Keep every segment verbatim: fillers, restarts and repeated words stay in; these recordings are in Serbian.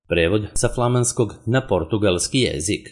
Prevod sa flamanskog na portugalski jezik.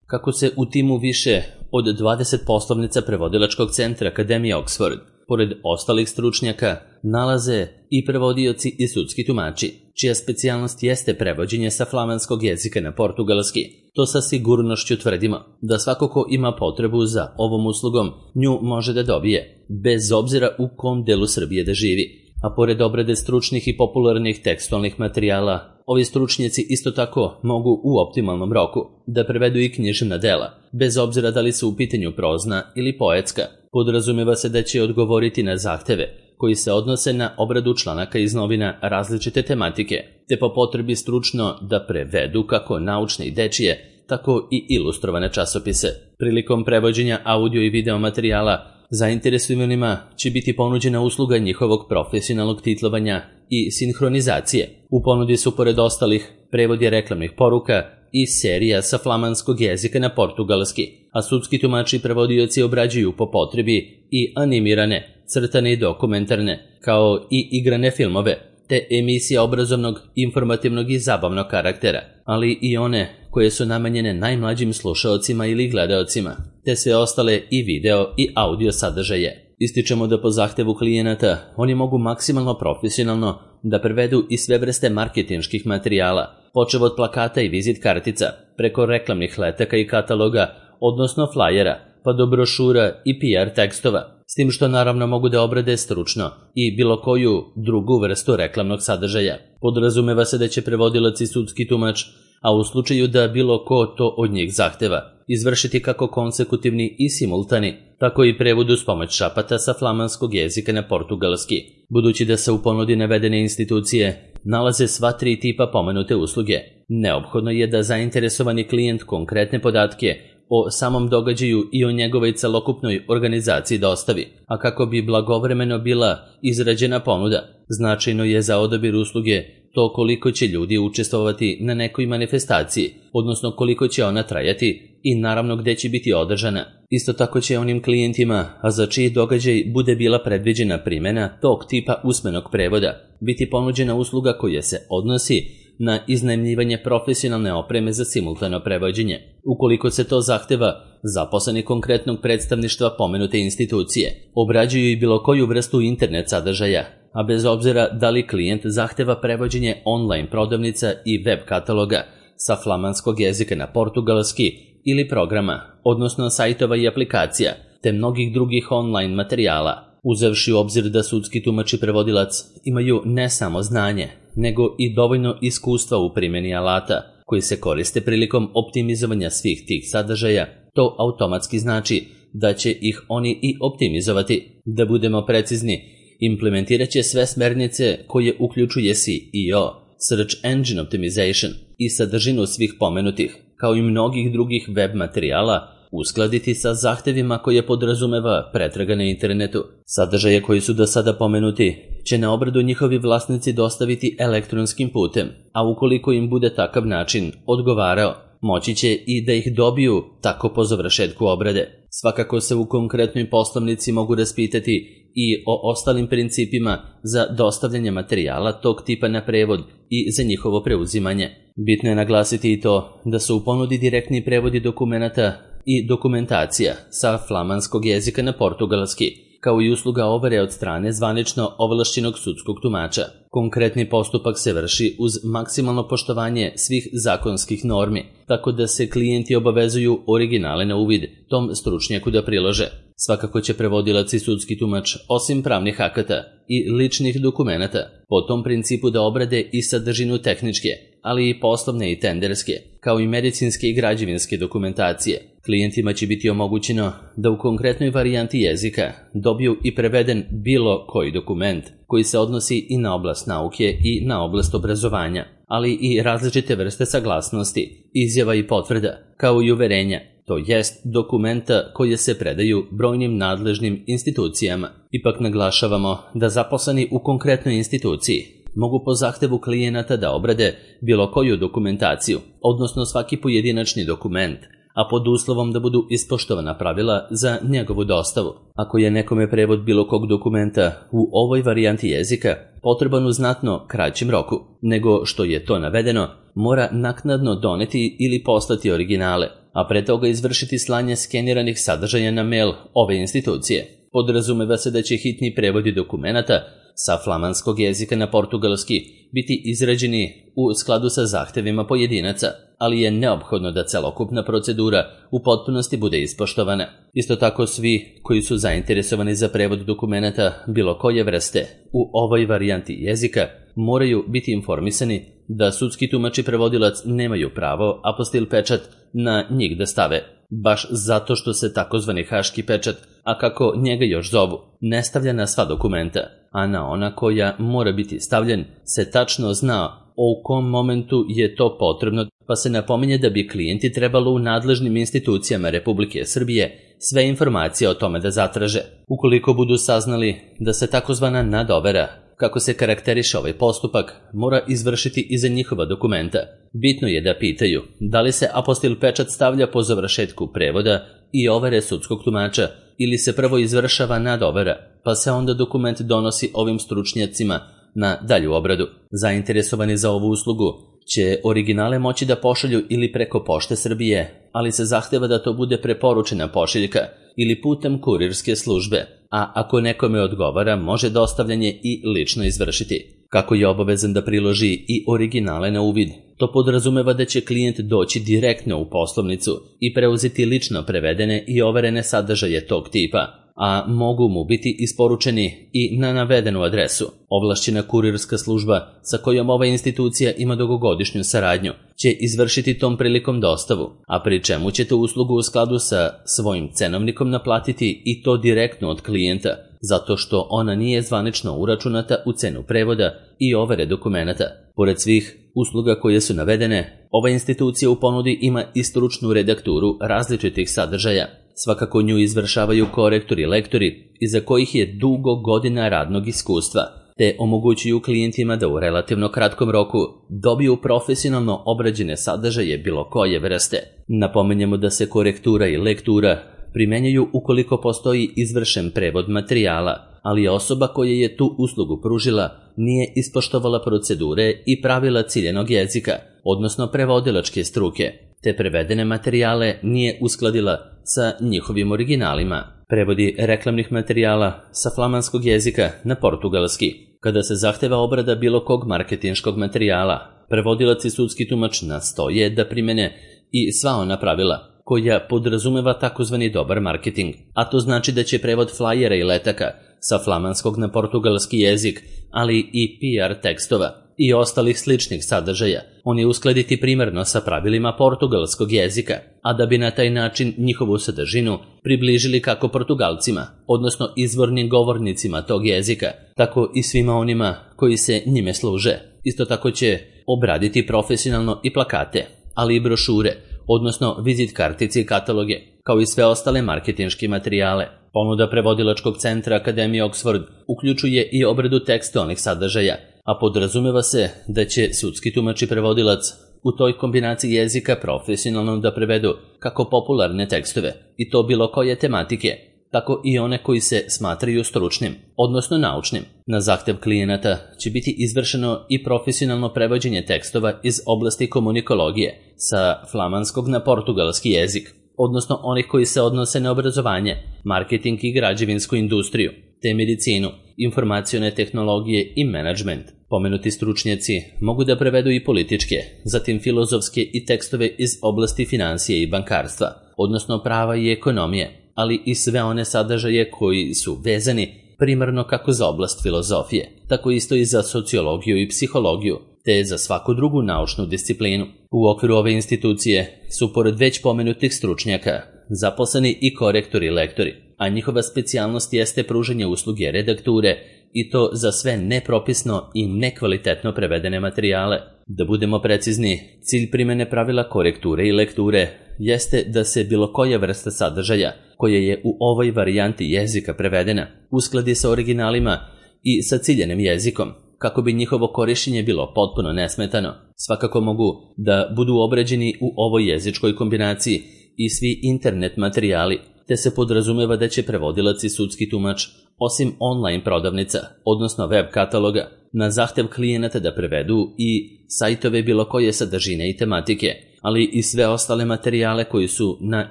Kako se u timu više od dvadeset poslovnica prevodilačkog centra Akademije Oxford, pored ostalih stručnjaka, nalaze i prevodioci i sudski tumači, čija specijalnost jeste prevođenje sa flamanskog jezika na portugalski. To sa sigurnošću tvrdimo da svako ko ima potrebu za ovom uslugom nju može da dobije, bez obzira u kom delu Srbije da živi. A pored obrade stručnih i popularnih tekstualnih materijala, ovi stručnjaci isto tako mogu u optimalnom roku da prevedu i književna dela, bez obzira da li su u pitanju prozna ili poetska. Podrazumeva se da će odgovoriti na zahteve koji se odnose na obradu članaka iz novina različite tematike, te po potrebi stručno da prevedu kako naučne i dečije, tako i ilustrovane časopise. Prilikom prevođenja audio i video materijala zainteresovanima će biti ponuđena usluga njihovog profesionalnog titlovanja i sinhronizacije. U ponudi su pored ostalih prevodi reklamnih poruka i serija sa flamanskog jezika na portugalski, a sudski tumači i prevodioci obrađuju po potrebi i animirane, crtane i dokumentarne, kao i igrane filmove, te emisije obrazovnog, informativnog i zabavnog karaktera, ali i one koje su namenjene najmlađim slušaocima ili gledaocima, te sve ostale i video i audio sadržaje. Ističemo da po zahtevu klijenata oni mogu maksimalno profesionalno da prevedu i sve vrste marketinških materijala, počev od plakata i vizit kartica, preko reklamnih letaka i kataloga, odnosno flajera, pa do brošura i P R tekstova, s tim što naravno mogu da obrade stručno i bilo koju drugu vrstu reklamnog sadržaja. Podrazumeva se da će prevodilac i sudski tumač, a u slučaju da bilo ko to od njih zahteva, izvršiti kako konsekutivni i simultani, tako i prevod uz pomoć šapata sa flamanskog jezika na portugalski. Budući da se u ponudi navedene institucije nalaze sva tri tipa pomenute usluge, neophodno je da zainteresovani klijent konkretne podatke o samom događaju i o njegovoj celokupnoj organizaciji dostavi, a kako bi blagovremeno bila izrađena ponuda, značajno je za odabir usluge to koliko će ljudi učestvovati na nekoj manifestaciji, odnosno koliko će ona trajati i naravno gde će biti održana. Isto tako će onim klijentima, a za čiji događaj bude bila predviđena primjena tog tipa usmenog prevoda, biti ponuđena usluga koja se odnosi na iznajmljivanje profesionalne opreme za simultano prevođenje. Ukoliko se to zahteva, zaposleni konkretnog predstavništva pomenute institucije obrađuju i bilo koju vrstu internet sadržaja, a bez obzira da li klijent zahteva prevođenje online prodavnica i web kataloga sa flamanskog jezika na portugalski ili programa, odnosno sajtova i aplikacija, te mnogih drugih online materijala, uzevši u obzir da sudski tumač i prevodilac imaju ne samo znanje, nego i dovoljno iskustva u primjeni alata koji se koriste prilikom optimizovanja svih tih sadržaja, to automatski znači da će ih oni i optimizovati. Da budemo precizni, implementirat će sve smernice koje uključuje S E O, Search Engine Optimization, i sadržinu svih pomenutih, kao i mnogih drugih web materijala, uskladiti sa zahtevima koje podrazumeva pretraga na internetu. Sadržaje koji su do sada pomenuti će na obradu njihovi vlasnici dostaviti elektronskim putem, a ukoliko im bude takav način odgovarao, moći će i da ih dobiju tako po završetku obrade. Svakako se u konkretnoj poslovnici mogu raspitati i o ostalim principima za dostavljanje materijala tog tipa na prevod i za njihovo preuzimanje. Bitno je naglasiti i to da su u ponudi direktni prevodi dokumenata i dokumentacija sa flamanskog jezika na portugalski, kao i usluga overe od strane zvanično ovlašćenog sudskog tumača. Konkretni postupak se vrši uz maksimalno poštovanje svih zakonskih normi, tako da se klijenti obavezuju originale na uvid tom stručnjaku da prilože. Svakako će prevodilac i sudski tumač, osim pravnih akata i ličnih dokumenata, po tom principu da obrade i sadržinu tehničke, ali i poslovne i tenderske, kao i medicinske i građevinske dokumentacije. Klijentima će biti omogućeno da u konkretnoj varijanti jezika dobiju i preveden bilo koji dokument koji se odnosi i na oblast nauke i na oblast obrazovanja, ali i različite vrste saglasnosti, izjava i potvrda, kao i uverenja, to jest dokumenta koje se predaju brojnim nadležnim institucijama. Ipak naglašavamo da zaposleni u konkretnoj instituciji mogu po zahtevu klijenata da obrade bilo koju dokumentaciju, odnosno svaki pojedinačni dokument, a pod uslovom da budu ispoštovana pravila za njegovu dostavu. Ako je nekome prevod bilo kog dokumenta u ovoj varijanti jezika potreban u znatno kraćem roku nego što je to navedeno, mora naknadno doneti ili poslati originale, a pre toga izvršiti slanje skeniranih sadržaja na mail ove institucije. Podrazumeva se da će hitni prevodi dokumenata sa flamanskog jezika na portugalski biti izrađeni u skladu sa zahtevima pojedinaca, ali je neophodno da celokupna procedura u potpunosti bude ispoštovana. Isto tako svi koji su zainteresovani za prevod dokumenata bilo koje vrste u ovoj varijanti jezika moraju biti informisani da sudski tumač i prevodilac nemaju pravo apostil pečat na njih da stave, baš zato što se takozvani haški pečat, a kako njega još zovu, ne stavlja na sva dokumenta, a na ona koja mora biti stavljen se tačno zna u kom momentu je to potrebno, pa se napominje da bi klijenti trebalo u nadležnim institucijama Republike Srbije sve informacije o tome da zatraže. Ukoliko budu saznali da se takozvana nadovera, kako se karakteriše ovaj postupak, mora izvršiti i za njihova dokumenta. Bitno je da pitaju da li se apostil pečat stavlja po završetku prevoda i overe sudskog tumača ili se prvo izvršava nadovera, pa se onda dokument donosi ovim stručnjacima na dalju obradu. Zainteresovani za ovu uslugu će originale moći da pošalju ili preko Pošte Srbije, ali se zahteva da to bude preporučena pošiljka ili putem kurirske službe, a ako nekome odgovara može dostavljanje i lično izvršiti. Kako je obavezan da priloži i originale na uvid, to podrazumeva da će klijent doći direktno u poslovnicu i preuzeti lično prevedene i overene sadržaje tog tipa, a mogu mu biti isporučeni i na navedenu adresu. Ovlašćena kurirska služba sa kojom ova institucija ima dugogodišnju saradnju će izvršiti tom prilikom dostavu, a pri čemu ćete uslugu u skladu sa svojim cenovnikom naplatiti i to direktno od klijenta, zato što ona nije zvanično uračunata u cenu prevoda i overe dokumenata. Pored svih usluga koje su navedene, ova institucija u ponudi ima i stručnu redakturu različitih sadržaja. Svakako nju izvršavaju korektori i lektori, iza kojih je dugo godina radnog iskustva, te omogućuju klijentima da u relativno kratkom roku dobiju profesionalno obrađene sadržaje bilo koje vrste. Napomenjemo da se korektura i lektura primenjuju ukoliko postoji izvršen prevod materijala, ali osoba koja je tu uslugu pružila nije ispoštovala procedure i pravila ciljenog jezika, odnosno prevodilačke struke, te prevedene materijale nije uskladila sa njihovim originalima. Prevodi reklamnih materijala sa flamanskog jezika na portugalski. Kada se zahteva obrada bilo kog marketinškog materijala, prevodilac i sudski tumač nastoje da primene i sva ona pravila koja podrazumeva takozvani dobar marketing, a to znači da će prevod flajera i letaka sa flamanskog na portugalski jezik, ali i P R tekstova i ostalih sličnih sadržaja, oni uskladiti primarno sa pravilima portugalskog jezika, a da bi na taj način njihovu sadržinu približili kako Portugalcima, odnosno izvornim govornicima tog jezika, tako i svima onima koji se njime služe. Isto tako će obraditi profesionalno i plakate, ali i brošure, odnosno vizit kartice i kataloge, kao i sve ostale marketinške materijale. Ponuda prevodilačkog centra Akademije Oxford uključuje i obradu tekstualnih sadržaja, a podrazumeva se da će sudski tumač i prevodilac u toj kombinaciji jezika profesionalno da prevedu kako popularne tekstove, i to bilo koje tematike, tako i one koji se smatraju stručnim, odnosno naučnim. Na zahtev klijenata će biti izvršeno i profesionalno prevođenje tekstova iz oblasti komunikologije sa flamanskog na portugalski jezik, odnosno onih koji se odnose na obrazovanje, marketing i građevinsku industriju, te medicinu, informacione tehnologije i menadžment. Pomenuti stručnjaci mogu da prevedu i političke, zatim filozofske i tekstove iz oblasti financije i bankarstva, odnosno prava i ekonomije, ali i sve one sadržaje koji su vezani primarno kako za oblast filozofije, tako isto i za sociologiju i psihologiju, te za svaku drugu naučnu disciplinu. U okviru ove institucije su pored već pomenutih stručnjaka zaposleni i korektori i lektori, a njihova specijalnost jeste pružanje usluge redakture i to za sve nepropisno i nekvalitetno prevedene materijale. Da budemo precizni, cilj primene pravila korekture i lekture jeste da se bilo koja vrsta sadržaja koja je u ovoj varijanti jezika prevedena uskladi sa originalima i sa ciljenim jezikom, kako bi njihovo korišćenje bilo potpuno nesmetano. Svakako mogu da budu obrađeni u ovoj jezičkoj kombinaciji i svi internet materijali, te se podrazumeva da će prevodilac i sudski tumač, osim online prodavnica, odnosno web kataloga, na zahtev klijenata da prevedu i sajtove bilo koje sadržine i tematike, ali i sve ostale materijale koji su na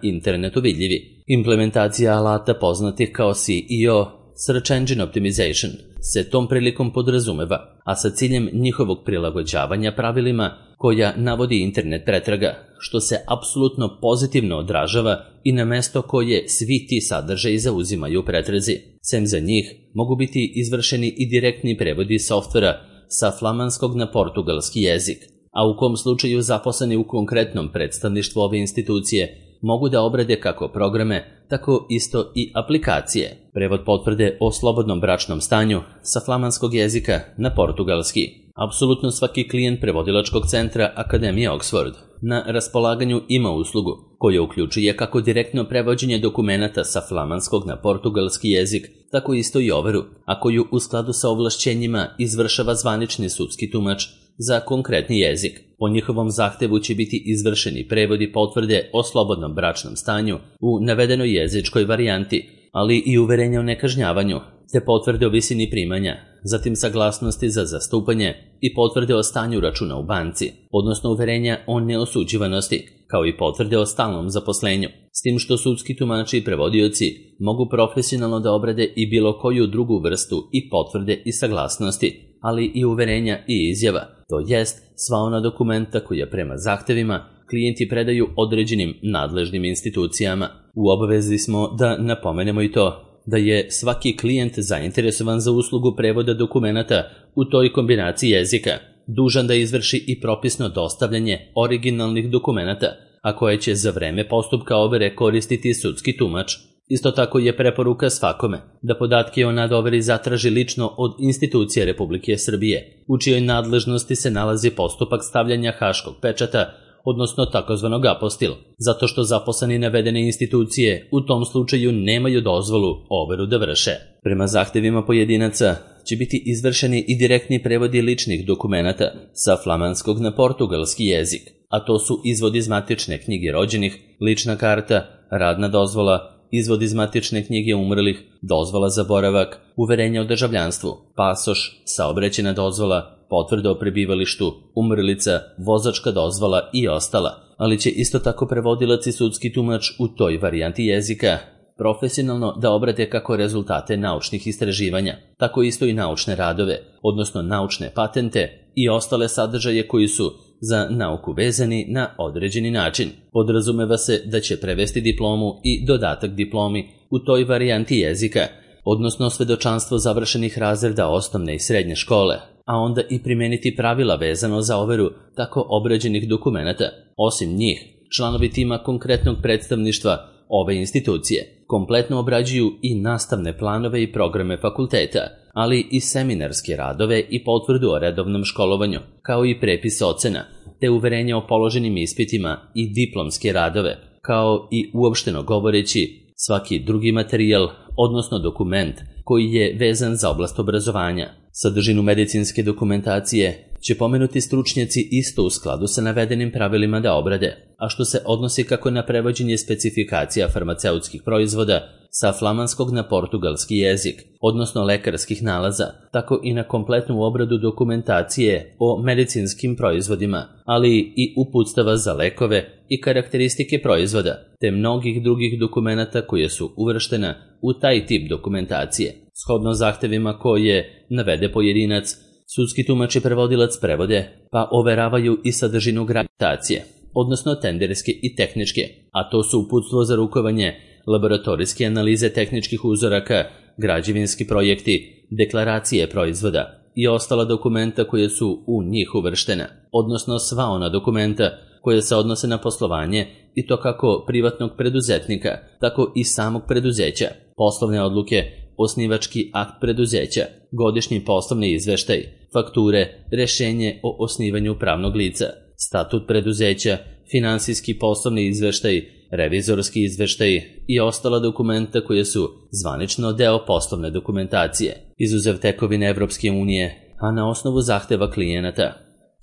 internetu vidljivi. Implementacija alata poznatih kao S E O, Search Engine Optimization, se tom prilikom podrazumeva, a sa ciljem njihovog prilagođavanja pravilima koja navodi internet pretraga, što se apsolutno pozitivno odražava i na mesto koje svi ti sadržaji zauzimaju u pretrazi. Sem za njih mogu biti izvršeni i direktni prevodi softvera sa flamanskog na portugalski jezik, a u kom slučaju zaposleni u konkretnom predstavništvu ove institucije mogu da obrade kako programe, tako isto i aplikacije. Prevod potvrde o slobodnom bračnom stanju sa flamanskog jezika na portugalski. Apsolutno svaki klijent prevodilačkog centra Akademije Oxford na raspolaganju ima uslugu koja uključuje kako direktno prevođenje dokumenata sa flamanskog na portugalski jezik, tako isto i overu, a koju u skladu sa ovlašćenjima izvršava zvanični sudski tumač za konkretni jezik. Po njihovom zahtevu će biti izvršeni prevodi potvrde o slobodnom bračnom stanju u navedenoj jezičkoj varijanti, ali i uverenja o nekažnjavanju, te potvrde o visini primanja, zatim saglasnosti za zastupanje i potvrde o stanju računa u banci, odnosno uverenja o neosuđivanosti, kao i potvrde o stalnom zaposlenju, s tim što sudski tumači i prevodioci mogu profesionalno da obrade i bilo koju drugu vrstu i potvrde i saglasnosti, ali i uverenja i izjava, to jest sva ona dokumenta koja prema zahtevima klijenti predaju određenim nadležnim institucijama. U obavezi smo da napomenemo i to da je svaki klijent zainteresovan za uslugu prevoda dokumenata u toj kombinaciji jezika dužan da izvrši i propisno dostavljanje originalnih dokumenata, a koje će za vreme postupka overe koristiti sudski tumač. Isto tako je preporuka svakome da podatke o nadoveri zatraži lično od institucije Republike Srbije, u čijoj nadležnosti se nalazi postupak stavljanja haškog pečata, odnosno takozvanog apostil, zato što zaposleni navedene institucije u tom slučaju nemaju dozvolu overu da vrše. Prema zahtevima pojedinaca će biti izvršeni i direktni prevodi ličnih dokumenata sa flamanskog na portugalski jezik, a to su izvod iz matične knjige rođenih, lična karta, radna dozvola, izvod iz matične knjige umrlih, dozvola za boravak, uverenja o državljanstvu, pasoš, saobraćajna dozvola, potvrda o prebivalištu, umrlica, vozačka dozvola i ostala, ali će isto tako prevodilac i sudski tumač u toj varijanti jezika profesionalno da obrade kako rezultate naučnih istraživanja, tako isto i naučne radove, odnosno naučne patente i ostale sadržaje koji su za nauku vezani na određeni način. Podrazumeva se da će prevesti diplomu i dodatak diplomi u toj varijanti jezika, odnosno svedočanstvo završenih razreda osnovne i srednje škole, a onda i primeniti pravila vezano za overu tako obrađenih dokumenata. Osim njih, članovi tima konkretnog predstavništva ove institucije kompletno obrađuju i nastavne planove i programe fakulteta, ali i seminarske radove i potvrdu o redovnom školovanju, kao i prepis ocena, te uverenje o položenim ispitima i diplomske radove, kao i uopšteno govoreći svaki drugi materijal, odnosno dokument koji je vezan za oblast obrazovanja. Sadržinu medicinske dokumentacije će pomenuti stručnjaci isto u skladu sa navedenim pravilima da obrade, a što se odnosi kako na prevođenje specifikacija farmaceutskih proizvoda sa flamanskog na portugalski jezik, odnosno lekarskih nalaza, tako i na kompletnu obradu dokumentacije o medicinskim proizvodima, ali i uputstava za lekove i karakteristike proizvoda, te mnogih drugih dokumenata koje su uvrštena u taj tip dokumentacije. Shodno zahtevima koje navede pojedinac, sudski tumač i prevodilac prevode, pa overavaju i sadržinu graditacije, odnosno tenderske i tehničke, a to su uputstvo za rukovanje, laboratorijske analize tehničkih uzoraka, građevinski projekti, deklaracije proizvoda i ostala dokumenta koje su u njih uvrštena, odnosno sva ona dokumenta koje se odnose na poslovanje i to kako privatnog preduzetnika, tako i samog preduzeća, poslovne odluke, osnivački akt preduzeća, godišnji poslovni izveštaj, fakture, rešenje o osnivanju pravnog lica, statut preduzeća, finansijski poslovni izveštaj, revizorski izveštaj i ostala dokumenta koje su zvanično deo poslovne dokumentacije, izuzev tekovine Evropske unije, a na osnovu zahteva klijenata,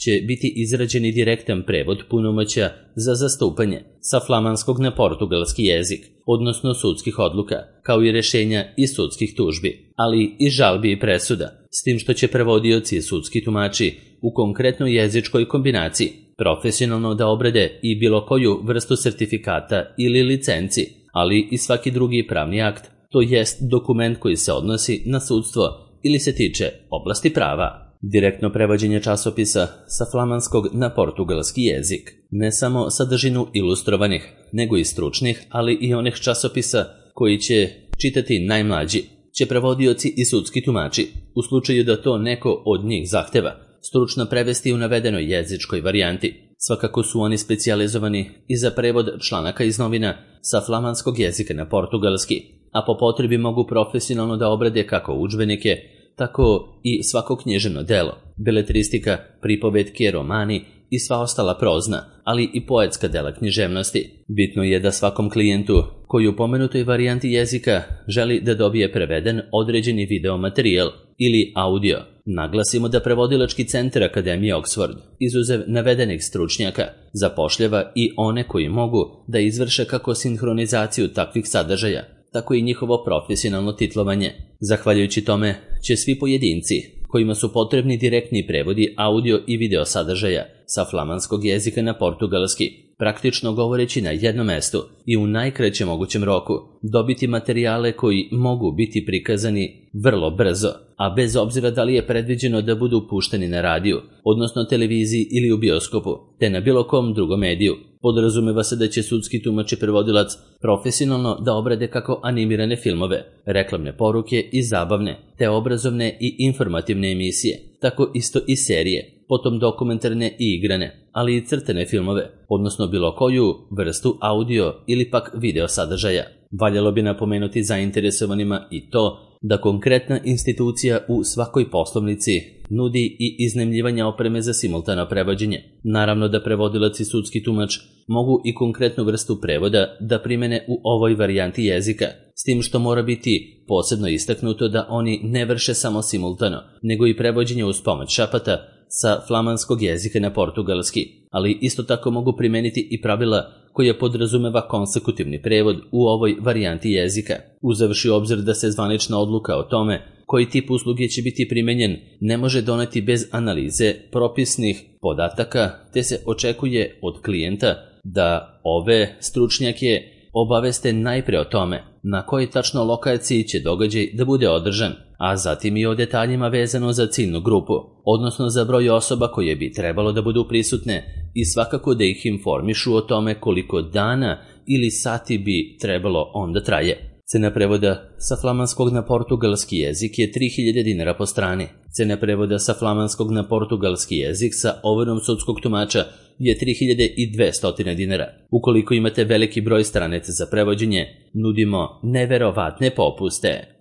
će biti izrađeni direktan prevod punomoćja za zastupanje sa flamanskog na portugalski jezik, odnosno sudskih odluka, kao i rešenja i sudskih tužbi, ali i žalbi i presuda, s tim što će prevodioci i sudski tumači u konkretnoj jezičkoj kombinaciji profesionalno da obrade i bilo koju vrstu sertifikata ili licenci, ali i svaki drugi pravni akt, to jest dokument koji se odnosi na sudstvo ili se tiče oblasti prava. Direktno prevođenje časopisa sa flamanskog na portugalski jezik ne samo sadržinu ilustrovanih, nego i stručnih, ali i onih časopisa koji će čitati najmlađi, će prevodioci i sudski tumači, u slučaju da to neko od njih zahteva, stručno prevesti u navedenoj jezičkoj varijanti. Svakako su oni specijalizovani i za prevod članaka iz novina sa flamanskog jezika na portugalski, a po potrebi mogu profesionalno da obrade kako udžbenike, tako i svako književno delo, beletristika, pripovetke, romani i sva ostala prozna, ali i poetska dela književnosti. Bitno je da svakom klijentu koji u pomenutoj varijanti jezika želi da dobije preveden određeni video materijal ili audio. Naglasimo da prevodilački centar Akademije Oxford, izuzev navedenih stručnjaka, zapošljava i one koji mogu da izvrše kako sinhronizaciju takvih sadržaja, tako i njihovo profesionalno titlovanje. Zahvaljujući tome će svi pojedinci kojima su potrebni direktni prevodi audio i video sadržaja sa flamanskog jezika na portugalski, praktično govoreći na jednom mestu i u najkraćem mogućem roku, dobiti materijale koji mogu biti prikazani vrlo brzo, a bez obzira da li je predviđeno da budu pušteni na radiju, odnosno televiziji ili u bioskopu, te na bilo kom drugom mediju. Podrazumeva se da će sudski tumač i prevodilac profesionalno da obrade kako animirane filmove, reklamne poruke i zabavne, te obrazovne i informativne emisije, tako isto i serije, potom dokumentarne i igrane, ali i crtene filmove, odnosno bilo koju vrstu audio ili pak video sadržaja. Valjalo bi napomenuti zainteresovanima i to da konkretna institucija u svakoj poslovnici nudi i iznajmljivanje opreme za simultano prevođenje. Naravno da prevodilac i sudski tumač mogu i konkretnu vrstu prevoda da primene u ovoj varijanti jezika, s tim što mora biti posebno istaknuto da oni ne vrše samo simultano, nego i prevođenje uz pomoć šapata sa flamanskog jezika na portugalski, ali isto tako mogu primeniti i pravila koja podrazumeva konsekutivni prevod u ovoj varijanti jezika. Uzavši obzir da se zvanična odluka o tome koji tip usluge će biti primenjen ne može doneti bez analize propisnih podataka, te se očekuje od klijenta da ove stručnjake obaveste najpre o tome na kojoj tačno lokaciji će događaj da bude održan, a zatim i o detaljima vezano za ciljnu grupu, odnosno za broj osoba koje bi trebalo da budu prisutne i svakako da ih informišu o tome koliko dana ili sati bi trebalo onda traje. Cena prevoda sa flamanskog na portugalski jezik je tri hiljade dinara po strani. Cena prevoda sa flamanskog na portugalski jezik sa overom sudskog tumača je tri hiljade dvesta dinara. Ukoliko imate veliki broj stranica za prevođenje, nudimo neverovatne popuste.